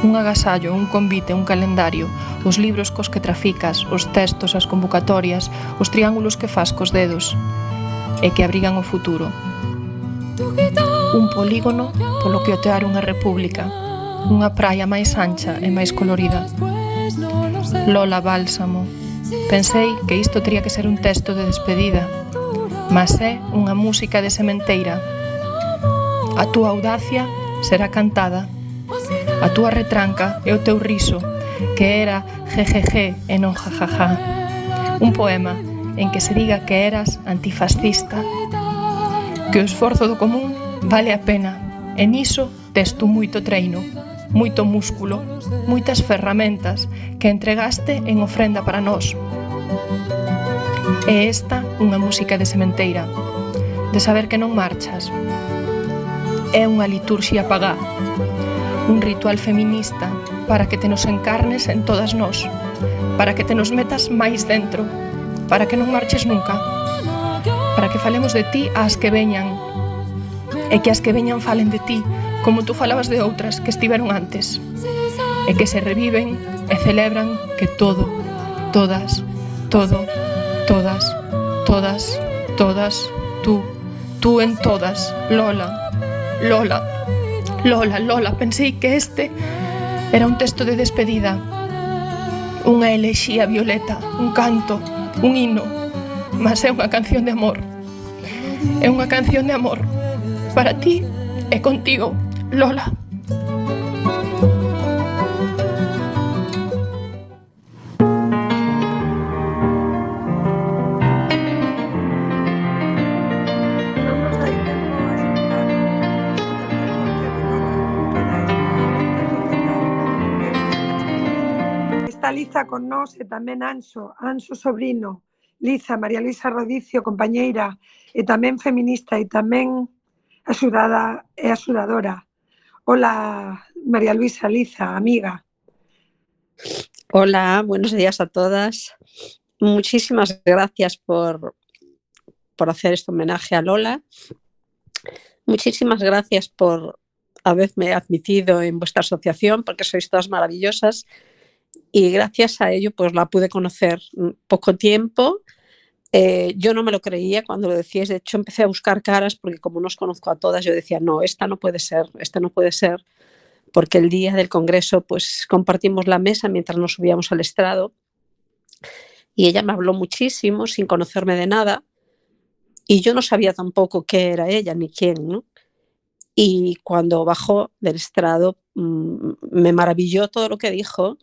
un agasallo, un convite, un calendario, os libros cos que traficas, os textos, as convocatorias, os triángulos que fas cos dedos, e que abrigan o futuro. Un polígono polo que otear unha república, unha praia máis ancha e máis colorida. Lola Bálsamo. Pensei que isto tería que ser un texto de despedida, mas é unha música de sementeira. A túa audacia será cantada, a túa retranca e o teu riso, que era jejeje e non jajaja. Un poema en que se diga que eras antifascista, que o esforzo do común vale a pena, e niso tes tú moito treino, moito músculo, moitas ferramentas que entregaste en ofrenda para nós. É esta unha música de sementeira, de saber que non marchas. É unha liturxia pagá, un ritual feminista para que te nos encarnes en todas nós, para que te nos metas máis dentro, para que non marches nunca, para que falemos de ti ás que veñan, e que as que veñan falen de ti, como tú falabas de outras que estiveron antes, e que se reviven e celebran que todo, todas, todo, todas, todas, todas, tú, tú en todas, Lola, Lola, Lola, Lola. Pensei que este era un texto de despedida, unha elexía violeta, un canto, un hino, mas é unha canción de amor, é unha canción de amor para ti e contigo, Lola. está con nós e tamén Anxo, Anxo Sobrino, Liza, María Luisa Rodicio, compañeira, e tamén feminista e tamén axudada e axudadora. Hola, María Luisa, Liza, amiga. Hola, buenos días a todas. Muchísimas gracias por, por hacer este homenaje a Lola. Muchísimas gracias por haberme admitido en vuestra asociación, porque sois todas maravillosas. Y gracias a ello pues la pude conocer poco tiempo. Eh, yo no me lo creía cuando lo decíais. De hecho, empecé a buscar caras porque como no os conozco a todas, yo decía, no, esta no puede ser, esta no puede ser. Porque el día del congreso pues compartimos la mesa mientras nos subíamos al estrado y ella me habló muchísimo sin conocerme de nada y yo no sabía tampoco qué era ella ni quién, ¿no? Y cuando bajó del estrado mmm, me maravilló todo lo que dijo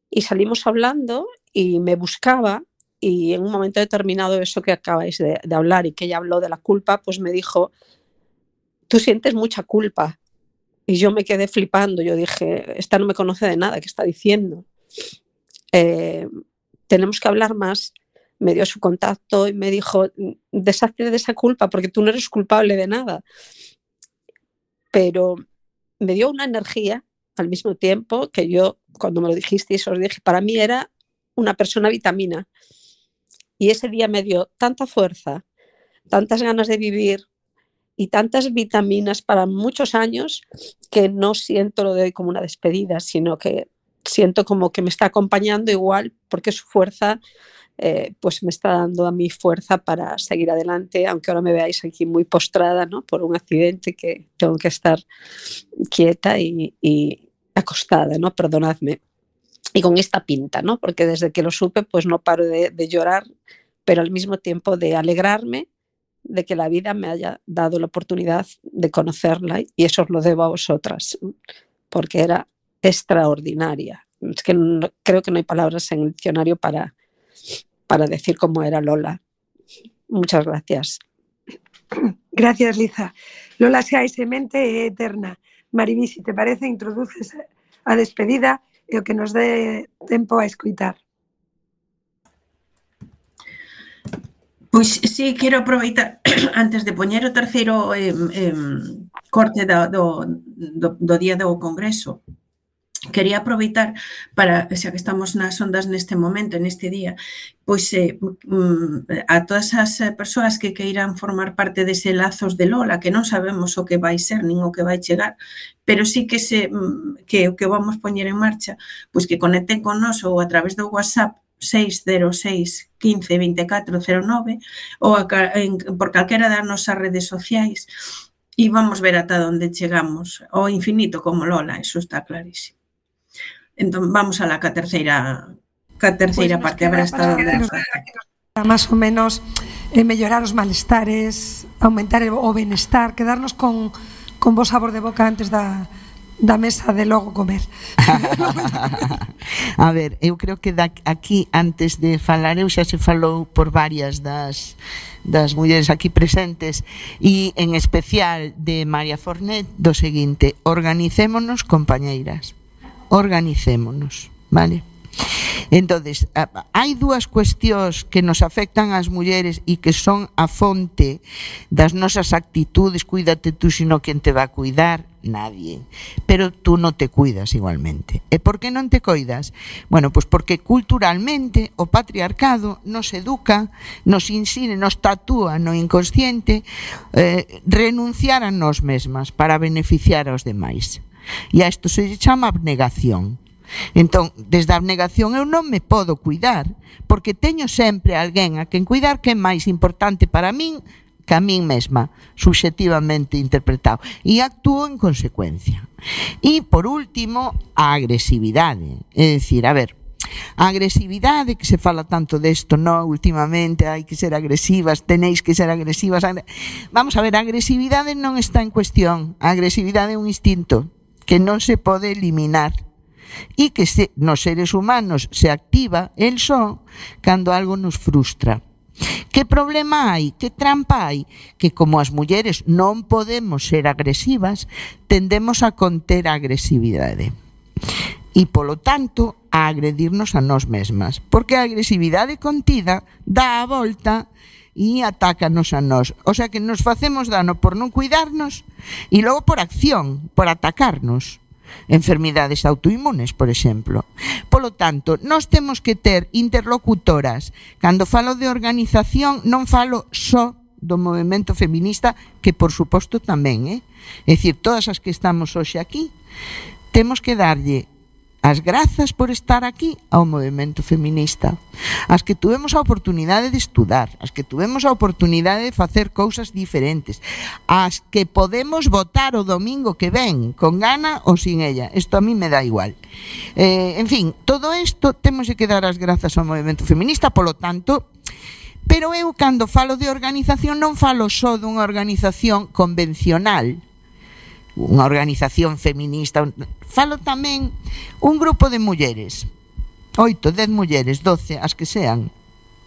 y salimos hablando y me buscaba y en un momento determinado eso que acabáis de, de hablar y que ella habló de la culpa, pues me dijo, tú sientes mucha culpa. Y yo me quedé flipando, yo dije, esta no me conoce de nada, ¿qué está diciendo? Eh, tenemos que hablar más. Me dio su contacto y me dijo, deshazte de esa culpa porque tú no eres culpable de nada. Pero me dio una energía al mismo tiempo que yo, cuando me lo dijisteis, os dije, para mí era una persona vitamina. Y ese día me dio tanta fuerza, tantas ganas de vivir, y tantas vitaminas para muchos años que no siento lo de hoy como una despedida, sino que siento como que me está acompañando igual porque su fuerza eh, pues me está dando a mí fuerza para seguir adelante, aunque ahora me veáis aquí muy postrada, ¿no? Por un accidente que tengo que estar quieta y, y acostada, ¿no? Perdonadme. Y con esta pinta, ¿no? Porque desde que lo supe pues no paro de, de llorar, pero al mismo tiempo de alegrarme de que la vida me haya dado la oportunidad de conocerla y eso os lo debo a vosotras, porque era extraordinaria. Es que no, creo que no hay palabras en el diccionario para, para decir cómo era Lola. Muchas gracias. Gracias, Liza. Lola xa é semente e eterna. Mariví, se te parece, introduces a despedida e o que nos dé tempo a escoitar. Pois sí, quero aproveitar antes de poñer o terceiro eh, eh, corte do, do, do, do día do Congreso. Quería aproveitar para, xa que estamos nas ondas neste momento, neste día, pois eh, a todas as persoas que queiran formar parte dese lazos de Lola, que non sabemos o que vai ser nin o que vai chegar, pero sí que se que o que vamos poñer en marcha, pois que conecten con nós ou a través do WhatsApp seis cero seis, quince, veinticuatro, cero nove ou a, en, por calquera das nosas redes sociais e vamos ver ata onde chegamos, ao infinito como Lola, eso está clarísimo. Entón, vamos a la ca terceira, ca terceira pues parte, a ver hasta onde nos para máis ou menos eh, mellorar os malestares, aumentar o benestar, quedarnos con, con bo sabor de boca antes da da mesa de logo comer. A ver, eu creo que da, aquí antes de falar eu xa se falou por varias das das mulleres aquí presentes e en especial de María Fornet do seguinte: organicémonos, compañeiras, organicémonos, vale? Entonces, hai dúas cuestións que nos afectan ás mulleres e que son a fonte das nosas actitudes. Cuídate tú, sino quen te va a cuidar? Nadie. Pero tú non te cuidas igualmente. E por que non te coidas? Bueno, pois porque culturalmente o patriarcado nos educa, nos ensina, nos tatúa no inconsciente eh, renunciar a nós mesmas para beneficiar aos demais. E a isto se chama abnegación. Entón, desde a abnegación eu non me podo cuidar porque teño sempre alguén a quen cuidar que é máis importante para min que a min mesma, subxectivamente interpretado, e actúo en consecuencia. E, por último, a agresividade. É dicir, a ver, a agresividade, que se fala tanto desto, no, últimamente, hai que ser agresivas, tenéis que ser agresivas. Vamos a ver, a agresividade non está en cuestión. A agresividade é un instinto que non se pode eliminar e que se, nos seres humanos se activa el só cando algo nos frustra. Que problema hai? Que trampa hai? Que como as mulleres non podemos ser agresivas, tendemos a conter a agresividade. e, polo tanto, a agredirnos a nós mesmas. Porque a agresividade contida dá a volta e atácanos a nós. O sea que nos facemos dano por non cuidarnos e logo por acción, por atacarnos. Enfermidades autoinmunes, por exemplo. Polo tanto, nós temos que ter interlocutoras. Cando falo de organización, non falo só do movemento feminista, que por suposto tamén, eh? É dicir, todas as que estamos hoxe aquí, temos que darlle as grazas por estar aquí ao movemento feminista, as que tuvemos a oportunidade de estudar, as que tuvemos a oportunidade de facer cousas diferentes, as que podemos votar o domingo que ven, con gana ou sin ella. Isto a mí me dá igual. Eh, en fin, todo isto temos que dar as grazas ao movemento feminista, polo tanto, pero eu cando falo de organización non falo só dunha organización convencional, unha organización feminista, falo tamén un grupo de mulleres, oito, dez mulleres, doce, as que sean,